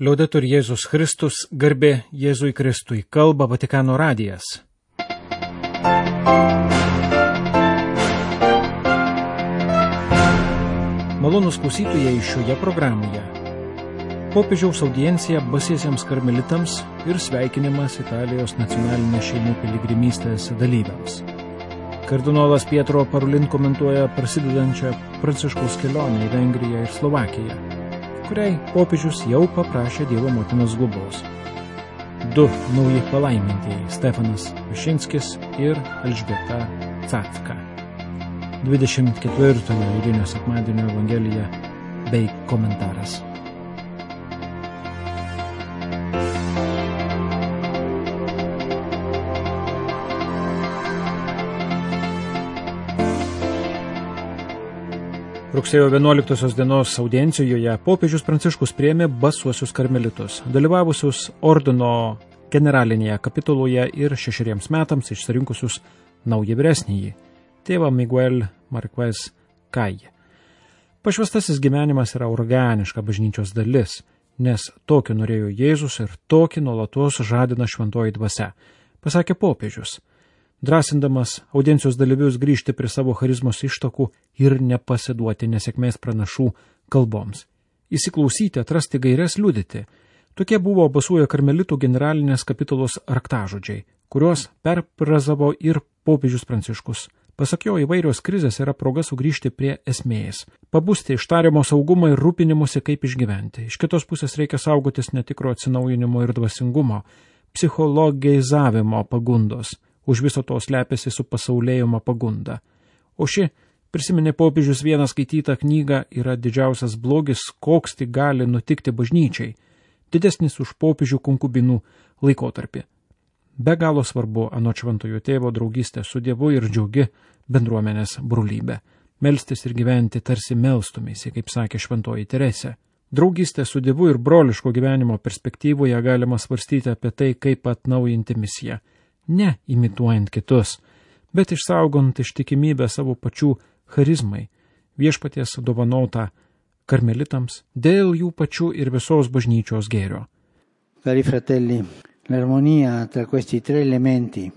Liaudetur Jėzus Kristus, garbė Jėzui Kristui, kalba Vatikano radijas. Malonūs klausytojai šioje programoje. Popiežiaus audiencija basiesiems karmelitams ir sveikinimas Italijos nacionalinės šeimų piligrimystės dalyviams. Kardinolas Pietro Parolin komentuoja prasidedančią Pranciškaus kelionę į Vengriją ir Slovakiją, kuriai popiežius jau paprašė Dievo motinos globos. 2 nauji palaimintieji – Stefanas Višinskis ir Elžbieta Cafka. 24 eilinio sekmadienio evangelija bei komentaras. Rugsėjo 11 dienos audiencijoje popiežius Pranciškus priėmė basuosius karmelitus, dalyvavusius ordino generalinėje kapituloje ir 6 metams išsirinkusius naują vyresnįjį, tėvą Miguel Marquez Kai. Pašvęstasis gyvenimas yra organiška bažnyčios dalis, nes tokį norėjo Jėzus ir tokį nuolatos žadina šventoji dvasia, pasakė popiežius, drąsindamas audiencijos dalyvius grįžti prie savo charizmos ištakų ir nepasiduoti nesėkmės pranašų kalboms. Įsiklausyti, atrasti gaires, liudyti. Tokie buvo basuoja karmelitų generalinės kapitulos raktažodžiai, kuriuos perfrazavo ir popiežius Pranciškus. Pasak jo, įvairios krizės yra proga sugrįžti prie esmės, pabusti iš tariamo saugumo ir rūpinimuose, kaip išgyventi. Iš kitos pusės reikia saugotis netikro atsinaujinimo ir dvasingumo, psichologizavimo pagundos. Už viso to slepiasi su pasaulėjimo pagunda. O ši, prisiminė popiežius vieną skaitytą knygą, yra didžiausias blogis, koks tik gali nutikti bažnyčiai, didesnis už popiežių konkubinų laikotarpį. Be galo svarbu anot šventojo tėvo draugystė su Dievu ir džiaugi bendruomenės brolybė. Melstis ir gyventi tarsi melstumėsi, kaip sakė šventoji Teresė. Draugystė su Dievu ir broliško gyvenimo perspektyvoje galima svarstyti apie tai, kaip atnaujinti misiją. Ne imituojant kitus, bet išsaugant ištikimybę savo pačių charizmai, viešpaties dovanotą karmelitams dėl jų pačių ir visos bažnyčios gėrio. Cari fratelli, l'armonia tra questi 3 elementi,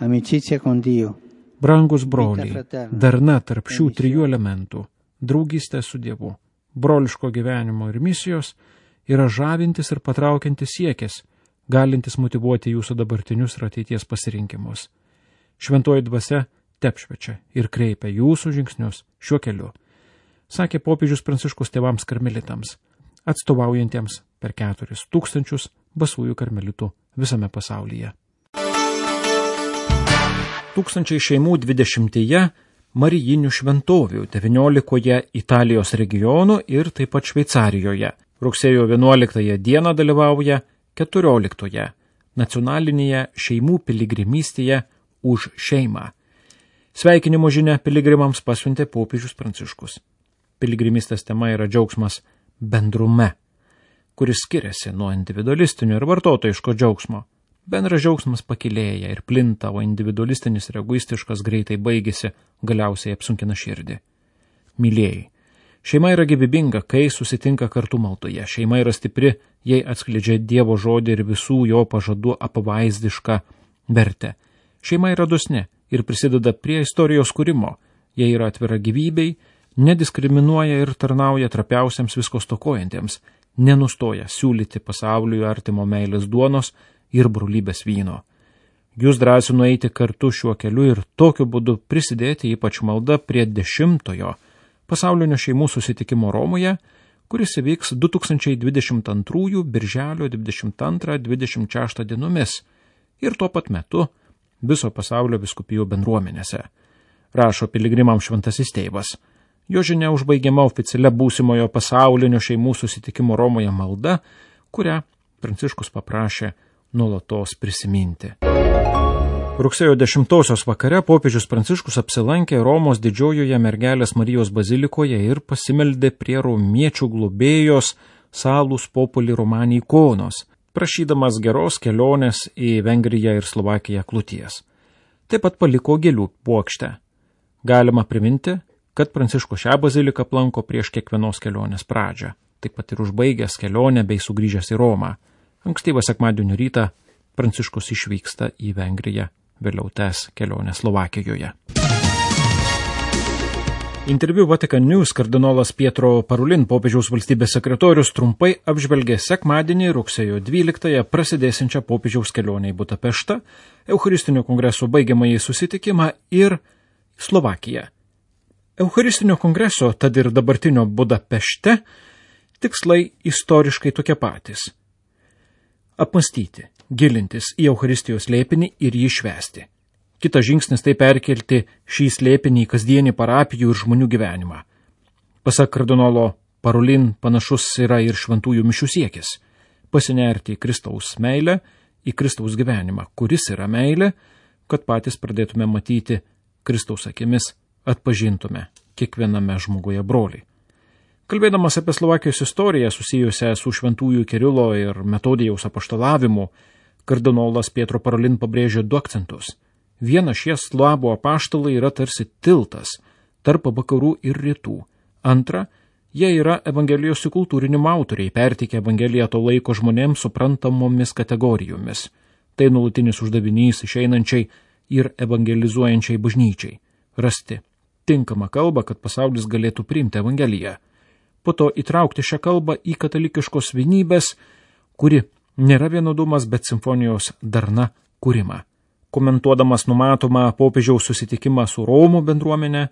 amicizia con Dio. Brangus broliai, darna tarp šių 3 elementų, draugystė su Dievu, broliško gyvenimo ir misijos, yra žavintis ir patraukiantis siekis, galintis motyvuoti jūsų dabartinius ir ateities pasirinkimus. Šventoji dvasia tepšvečia ir kreipia jūsų žingsnius šiuo keliu, sakė popiežius Pranciškus tėvams karmelitams, atstovaujantiems per 4000 basųjų karmelitų visame pasaulyje. 1000 šeimų 20 marijinių šventovių 19 Italijos regionų ir taip pat Šveicarijoje. Rugsėjo 11 dieną dalyvauja 14 nacionalinėje šeimų piligrimystėje už šeimą. Sveikinimo žinia piligrimams pasiuntė popiežius Pranciškus. Piligrimystės tema yra džiaugsmas bendrume, kuris skiriasi nuo individualistinio ir vartotojiško džiaugsmo. Bendras džiaugsmas pakilėja ir plinta, o individualistinis ir egoistiškas greitai baigėsi, galiausiai apsunkina širdį. Mylėjai. Šeima yra gyvybinga, kai susitinka kartu maldoje. Šeima yra stipri, jei atskleidžia Dievo žodį ir visų jo pažadų apvaizdišką vertę. Šeima yra dosni ir prisideda prie istorijos kūrimo. Jei yra atvira gyvybei, nediskriminuoja ir tarnauja trapiausiams visko stokojantiems, nenustoja siūlyti pasauliui artimo meilės duonos ir brolybės vyno. Jūs drąsinu eiti kartu šiuo keliu ir tokiu būdu prisidėti ypač malda prie 10-ojo pasaulinio šeimų susitikimo Romoje, kuris įvyks 2022 birželio 22-26 dienomis ir tuo pat metu viso pasaulio vyskupijų bendruomenėse, rašo piligrimams šventasis tėvas. Jo žinia užbaigiama oficialia būsimojo pasaulinio šeimų susitikimo Romoje malda, kurią Pranciškus paprašė nuolatos prisiminti. Rugsėjo 10 vakare popiežius Pranciškus apsilankė Romos didžiojoje Mergelės Marijos bazilikoje ir pasimeldė prie romiečių globėjos Salus Populi Romani ikonos, prašydamas geros kelionės į Vengriją ir Slovakiją kloties. Taip pat paliko gėlių puokštę. Galima priminti, kad Pranciškus šią baziliką aplanko prieš kiekvienos kelionės pradžią. taip pat ir užbaigęs kelionę bei sugrįžęs į Romą. Ankstyvą sekmadienio rytą Pranciškus išvyksta į Vengriją, vėliau tęs kelionę Slovakijoje. Interviu Vatican News kardinolas Pietro Parolin, popiežiaus valstybės sekretorius, trumpai apžvelgė sekmadienį rugsėjo 12-ąją prasidėsiančią popiežiaus kelionę į Budapeštą, Eucharistinio kongreso baigiamąjį susitikimą ir Slovakiją. Eucharistinio kongreso, tad ir dabartinio Budapešte, tikslai istoriškai tokie patys. Apmąstyti, gilintis į Eucharistijos slėpinį ir jį švęsti. Kitas žingsnis tai perkelti šį slėpinį į kasdienį parapijų ir žmonių gyvenimą. Pasak kardinolo Parolin, panašus yra ir šventųjų mišių siekis – pasinerti į Kristaus meilę, į Kristaus gyvenimą, kuris yra meilė, kad patys pradėtume matyti Kristaus akimis, atpažintume kiekviename žmoguje brolį. Kalbėdamas apie Slovakijos istoriją susijusią su šventųjų Kirilo ir Metodijaus apaštalavimu, kardinolas Pietro Parolin pabrėžė 2 akcentus. Viena, šie slavų apaštalai yra tarsi tiltas tarp vakarų ir rytų. Antra, jie yra evangelijos įkultūrinimo autoriai, perteikia evangeliją to laiko žmonėms suprantamomis kategorijomis. Tai nuolatinis uždavinys išeinančiai ir evangelizuojančiai bažnyčiai – rasti tinkamą kalbą, kad pasaulis galėtų priimti evangeliją. Po to įtraukti šią kalbą į katalikiškos vienybės, kuri nėra vienodumas, bet simfonijos darna kūrimą. Komentuodamas numatomą popiežiaus susitikimą su Romų bendruomenė,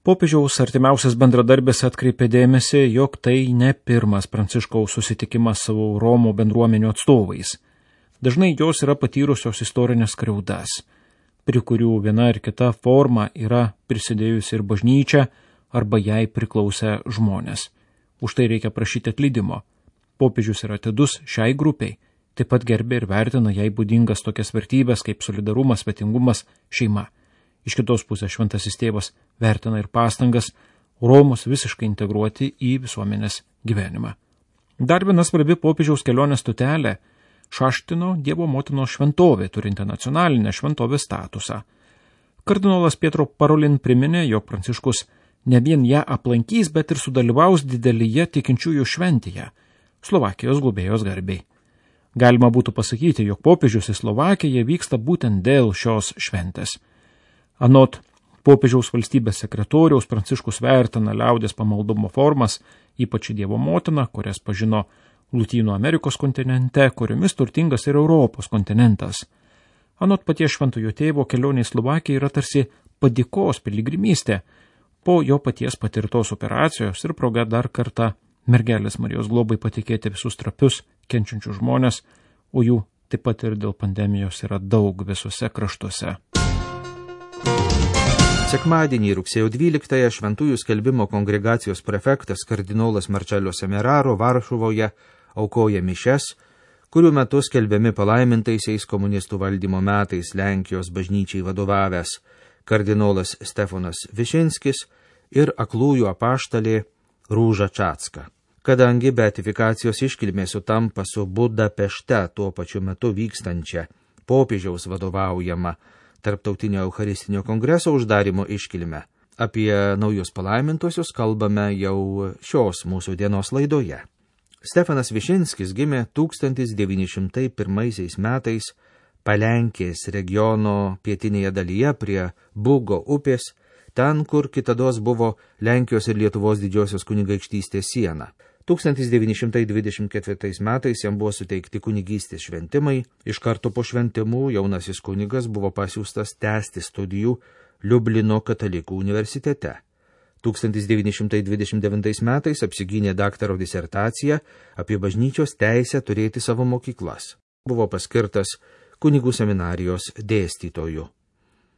popiežiaus artimiausias bendradarbis atkreipė dėmesį, jog tai ne pirmas Pranciškaus susitikimas su Romų bendruomenių atstovais. Dažnai jos yra patyrusios istorinės skriaudas, prie kurių viena ar kita forma yra prisidėjusi ir bažnyčia arba jai priklausę žmonės. Už tai reikia prašyti atleidimo. Popiežius yra atidus šiai grupiai. Taip pat gerbė ir vertina jai būdingas tokias vertybės kaip solidarumas, svetingumas, šeima. Iš kitos pusės šventasis tėvas vertina ir pastangas Romus visiškai integruoti į visuomenės gyvenimą. Dar viena svarbi popiežiaus kelionės stotelė – Šaštino Dievo motinos šventovė, turinti nacionalinę šventovės statusą. Kardinolas Pietro Parolin priminė, jog Pranciškus ne vien ją aplankys, bet ir sudalyvaus didelėje tikinčiųjų šventėje – Slovakijos globėjos garbei. Galima būtų pasakyti, jog popiežius į Slovakiją vyksta būtent dėl šios šventės. Anot popiežiaus valstybės sekretoriaus, Pranciškus vertina liaudies pamaldumo formas, ypač Dievo motiną, kurias pažino Lotynų Amerikos kontinente, kuriomis turtingas ir Europos kontinentas. Anot paties šventojo tėvo, kelionė į Slovakiją yra tarsi padėkos piligrimystė po jo paties patirtos operacijos ir proga dar kartą mergelės Marijos globai patikėti visus trapius, kenčiančius žmonės, o jų taip pat ir dėl pandemijos yra daug visuose kraštuose. Sekmadienį rugsėjo 12-ąją Šventųjų skelbimo kongregacijos prefektas kardinolas Marcello Semeraro Varšuvoje aukoja mišias, kurių metu skelbiami palaimintaisiais komunistų valdymo metais Lenkijos bažnyčiai vadovavęs kardinolas Stefanas Višinskis ir aklųjų apaštalė Rūža Čatska. Kadangi beatifikacijos iškilmė sutampa su Budapešte tuo pačiu metu vykstančia popiežiaus vadovaujama Tarptautinio Eucharistinio kongreso uždarimo iškilme, apie naujus palaimintuosius kalbame jau šios mūsų dienos laidoje. Stefanas Višinskis gimė 1901 metais Palenkės regiono pietinėje dalyje prie Bugo upės, ten, kur kitados buvo Lenkijos ir Lietuvos didžiosios kunigaikštystės siena. 1924 metais jam buvo suteikti kunigystės šventimai, iš karto po šventimų jaunasis kunigas buvo pasiųstas tęsti studijų Liublino katalikų universitete. 1929 metais apsigynė daktaro disertaciją apie bažnyčios teisę turėti savo mokyklas. Buvo paskirtas kunigų seminarijos dėstytoju.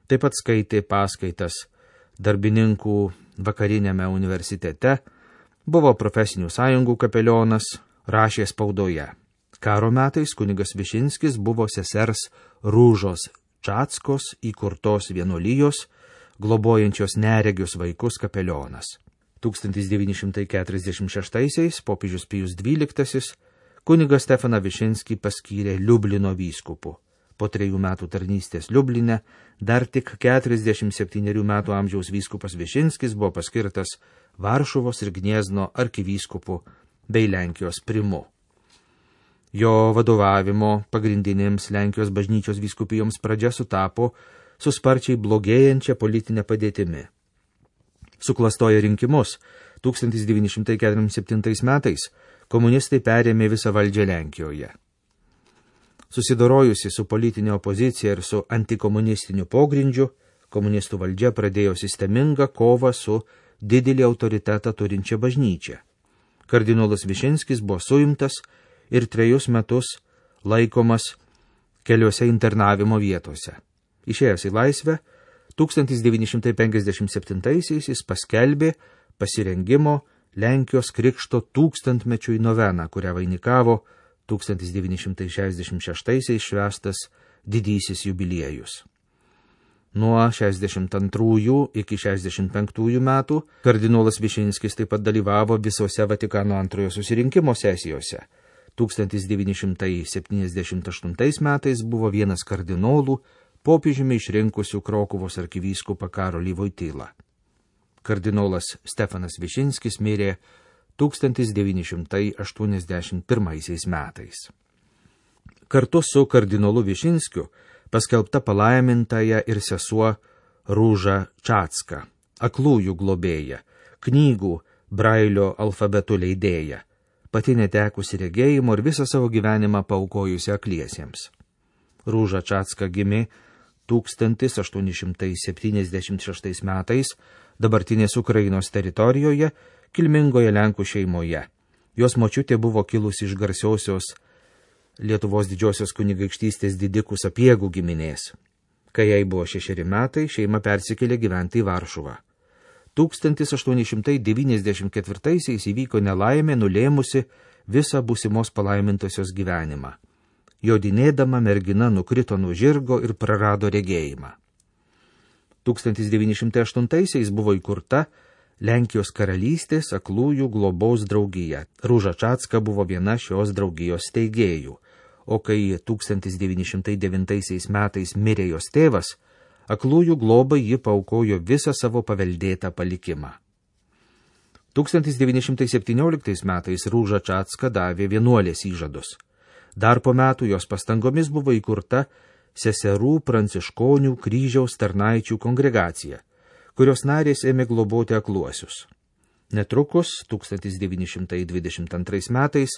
Taip pat skaitė paskaitas darbininkų vakarinėme universitete, buvo profesinių sąjungų kapelionas, rašė spaudoje. Karo metais kunigas Višinskis buvo sesers Rūžos Čatskos įkurtos vienuolijos, globojančios neregius vaikus kapelionas. 1946 popiežius Pijus XII kunigas Stefaną Višinskį paskyrė Liublino vyskupu. Po 3 metų tarnystės Liubline dar tik 47 metų amžiaus vyskupas Višinskis buvo paskirtas Varšuvos ir Gniezno arkivyskupu bei Lenkijos primu. Jo vadovavimo pagrindinėms Lenkijos bažnyčios vyskupijoms pradžia sutapo su sparčiai blogėjančia politinė padėtimi. Suklastoję rinkimus 1947 metais komunistai perėmė visą valdžią Lenkijoje. Susidorojusi su politinė opozicija ir su antikomunistiniu pogrindžiu, komunistų valdžia pradėjo sistemingą kovą su didelį autoritetą turinčia bažnyčia. Kardinolas Višinskis buvo suimtas ir 3 metus laikomas keliose internavimo vietose. Išėjęs į laisvę, 1957 jis paskelbė pasirengimo Lenkijos krikšto 1000-mečiui noveną, kurią vainikavo 1966 švęstas didysis jubiliejus. Nuo 62 iki 65 metų kardinolas Višinskis taip pat dalyvavo visose Vatikano antrojo susirinkimo sesijose. 1978 metais buvo vienas kardinolų popiežiumi išrinkusių Krokuvos arkivyskupą Karolį Vojtylą. Kardinolas Stefanas Višinskis mirė 1981 metais. Kartu su kardinolu Višinskiu paskelbta palaimintaja ir sesuo Rūža Čatska, aklųjų globėja, knygų Brailio alfabetų leidėja, pati netekusi regėjimo ir visą savo gyvenimą paaukojusi akliesiems. Rūža Čatska gimė 1876 metais dabartinės Ukrainos teritorijoje, kilmingoje Lenkų šeimoje. Jos močiutė buvo kilusi iš garsiosios Lietuvos didžiosios kunigaikštystės didikų Sapiegų giminės. Kai jai buvo 6 metai, šeima persikėlė gyventi į Varšuvą. 1894 įvyko nelaimė, nulėmusi visą būsimos palaimintosios gyvenimą. Jodinėdama mergina nukrito nuo žirgo ir prarado regėjimą. 1908 buvo įkurta Lenkijos karalystės aklųjų globos draugija. Rūža Čatska buvo viena šios draugijos steigėjų, o kai 1909 metais mirė jos tėvas, aklųjų globai ji paaukojo visą savo paveldėtą palikimą. 1917 metais Rūža Čatska davė vienuolės įžadus. Dar po metų jos pastangomis buvo įkurta seserų pranciškonių kryžiaus tarnaičių kongregacija, kurios narės ėmė globoti akluosius. Netrukus 1922 metais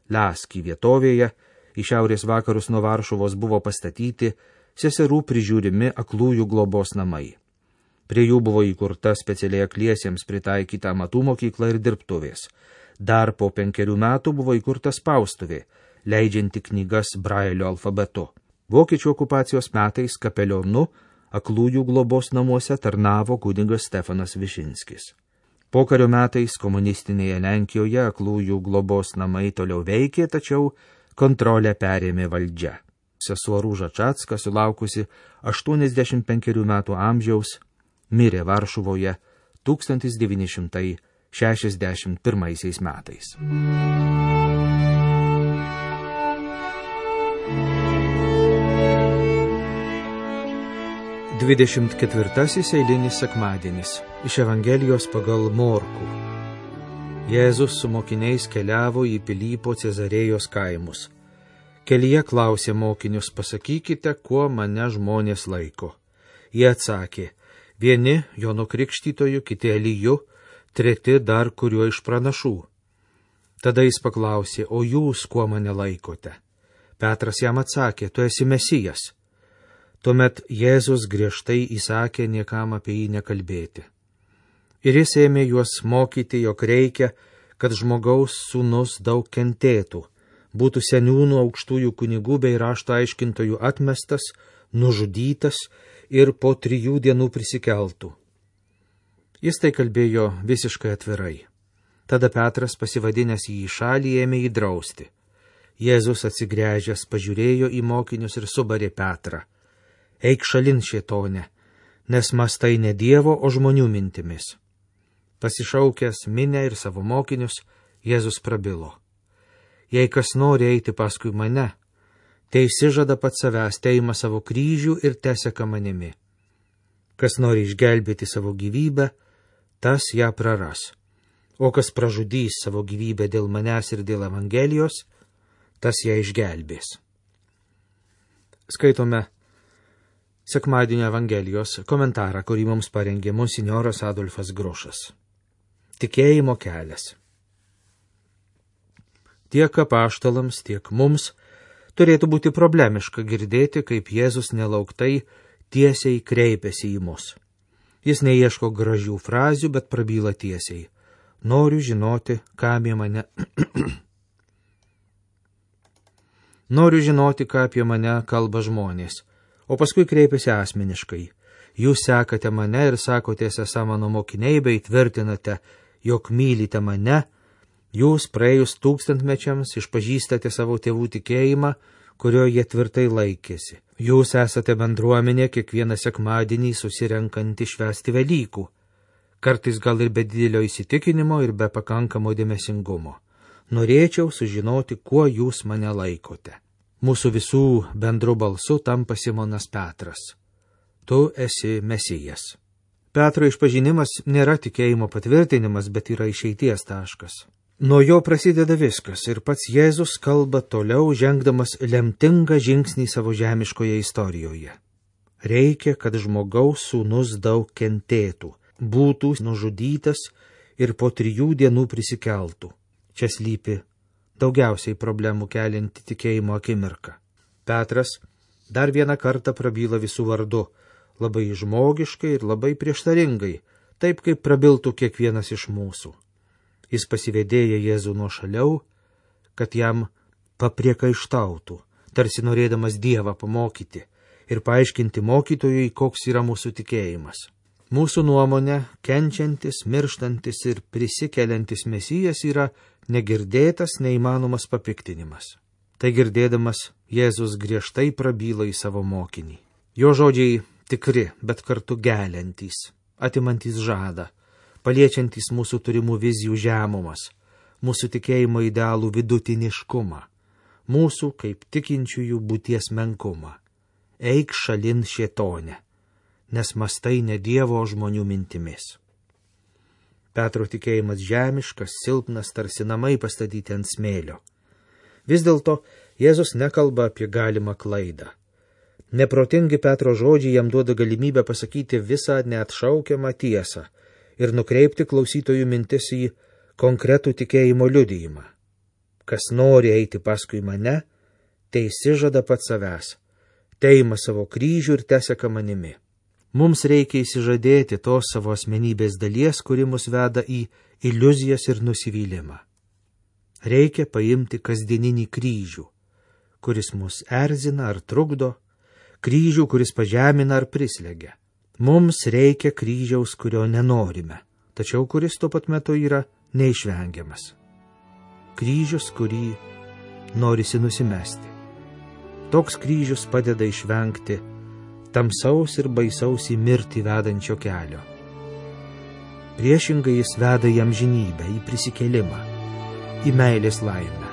Laski vietovėje į šiaurės vakarus nuo Varšuvos buvo pastatyti seserų prižiūrimi aklųjų globos namai. Prie jų buvo įkurta specialiai akliesiems pritaikyta amatų mokykla ir dirbtuvės. Dar po 5 metų buvo įkurta spaustuvė, leidžianti knygas Brailio alfabetu. Vokiečių okupacijos metais kapelionu aklųjų globos namuose tarnavo kunigas Stefanas Višinskis. Pokario metais komunistinėje Lenkijoje aklųjų globos namai toliau veikė, tačiau kontrolę perėmė valdžia. Sesuo Rūža Čatska, sulaukusi 85 metų amžiaus, mirė Varšuvoje 1961 metais. 24 eilinis sekmadienis iš Evangelijos pagal Morkų. Jėzus su mokiniais keliavo į Pilypo Cezarėjos kaimus. Kelyje klausė mokinius: pasakykite, kuo mane žmonės laiko. Jie atsakė: vieni Jonu Krikštytoju, kiti Eliju, treti dar kuriuo iš pranašų. Tada jis paklausė: o jūs kuo mane laikote? Petras jam atsakė: tu esi Mesijas. Tuomet Jėzus griežtai įsakė niekam apie jį nekalbėti. Ir jis ėmė juos mokyti, jog reikia, kad žmogaus sūnus daug kentėtų, būtų seniūnų, aukštųjų kunigų bei rašto aiškintojų atmestas, nužudytas ir po 3 dienų prisikeltų. Jis tai kalbėjo visiškai atvirai. Tada Petras, pasivadinęs jį į šalį, ėmė jį drausti. Jėzus atsigręžęs pažiūrėjo į mokinius ir subarė Petrą: eik šalin, šėtone, nes mąstai ne Dievo, o žmonių mintimis. Pasišaukęs minią ir savo mokinius, Jėzus prabilo: jei kas nori eiti paskui mane, tai išsižada pats savęs, teima savo kryžių ir teseka manimi. Kas nori išgelbėti savo gyvybę, tas ją praras. o kas pražudys savo gyvybę dėl manęs ir dėl Evangelijos, tas ją išgelbės. Skaitome sekmadienio Evangelijos komentarą, kurį mums parengė monsinjoras Adolfas Grošas. Tikėjimo kelias. Tiek apaštalams, tiek mums turėtų būti problemiška girdėti, kaip Jėzus nelauktai tiesiai kreipiasi į mus. Jis neieško gražių frazių, bet prabyla tiesiai. Noriu žinoti, ką apie mane... Noriu žinoti, ką apie mane kalba žmonės, o paskui kreipiasi asmeniškai. Jūs sekate mane ir sakotės esą mano mokiniai, bei tvirtinate, jog mylite mane. Jūs praėjus tūkstantmečiams išpažįstate savo tėvų tikėjimą, kurio jie tvirtai laikėsi. Jūs esate bendruomenė kiekvieną sekmadienį susirenkanti švęsti Velykų, kartais gal ir be didelio įsitikinimo ir be pakankamo dėmesingumo. Norėčiau sužinoti, kuo jūs mane laikote. Mūsų visų bendru balsu tampa Simonas Petras. Tu esi Mesijas. Petro išpažinimas nėra tikėjimo patvirtinimas, bet yra išeities taškas. Nuo jo prasideda viskas ir pats Jėzus kalba toliau, žengdamas lemtingą žingsnį savo žemiškoje istorijoje. Reikia, kad žmogaus sūnus daug kentėtų, būtų nužudytas ir po 3 dienų prisikeltų. Čia slypi daugiausiai problemų kelianti tikėjimo akimirka. Petras dar vieną kartą prabyla visų vardu, labai žmogiškai ir labai prieštaringai, taip kaip prabiltų kiekvienas iš mūsų. Jis pasivedėja Jėzų nuošaliau, kad jam papriekaištautų, tarsi norėdamas Dievą pamokyti ir paaiškinti mokytojui, koks yra mūsų tikėjimas. Mūsų nuomonė, kenčiantis, mirštantis ir prisikeliantis Mesijas yra negirdėtas, neįmanomas papiktinimas. Tai girdėdamas, Jėzus griežtai prabyla į savo mokinį. Jo žodžiai tikri, bet kartu geliantys, atimantys žadą, paliečiantys mūsų turimų vizijų žemumas, mūsų tikėjimo idealų vidutiniškumą, mūsų kaip tikinčiųjų būties menkumą. Eik šalin šėtone, nes mastai ne Dievo žmonių mintimis. Petro tikėjimas žemiškas, silpnas, tarsi namai pastatyti ant smėlio. Vis dėlto Jėzus nekalba apie galimą klaidą. Neprotingi Petro žodžiai jam duoda galimybę pasakyti visą neatšaukiamą tiesą ir nukreipti klausytojų mintis į konkretų tikėjimo liudijimą. Kas nori eiti paskui mane, tai išsižada pats savęs, teima savo kryžių ir teseka manimi. Mums reikia įsižadėti tos savo asmenybės dalies, kuri mus veda į iliuzijas ir nusivylimą. Reikia paimti kasdieninį kryžių, kuris mus erzina ar trukdo, kryžių, kuris pažemina ar prislegia. Mums reikia kryžiaus, kurio nenorime, tačiau kuris tuo pat metu yra neišvengiamas. Kryžius, kurį norisi nusimesti. Toks kryžius padeda išvengti tamsaus ir baisaus į mirtį vedančio kelio. Priešingai jis veda į amžinybę, į prisikėlimą, į meilės laimę.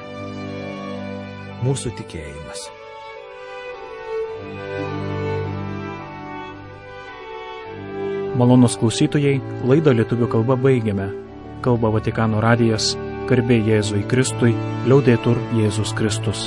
Mūsų tikėjimas. Malonūs klausytojai, laidą lietuvių kalba baigiame. Kalba Vatikano radijas, garbė Jėzui Kristui, liaudetur Jėzus Kristus.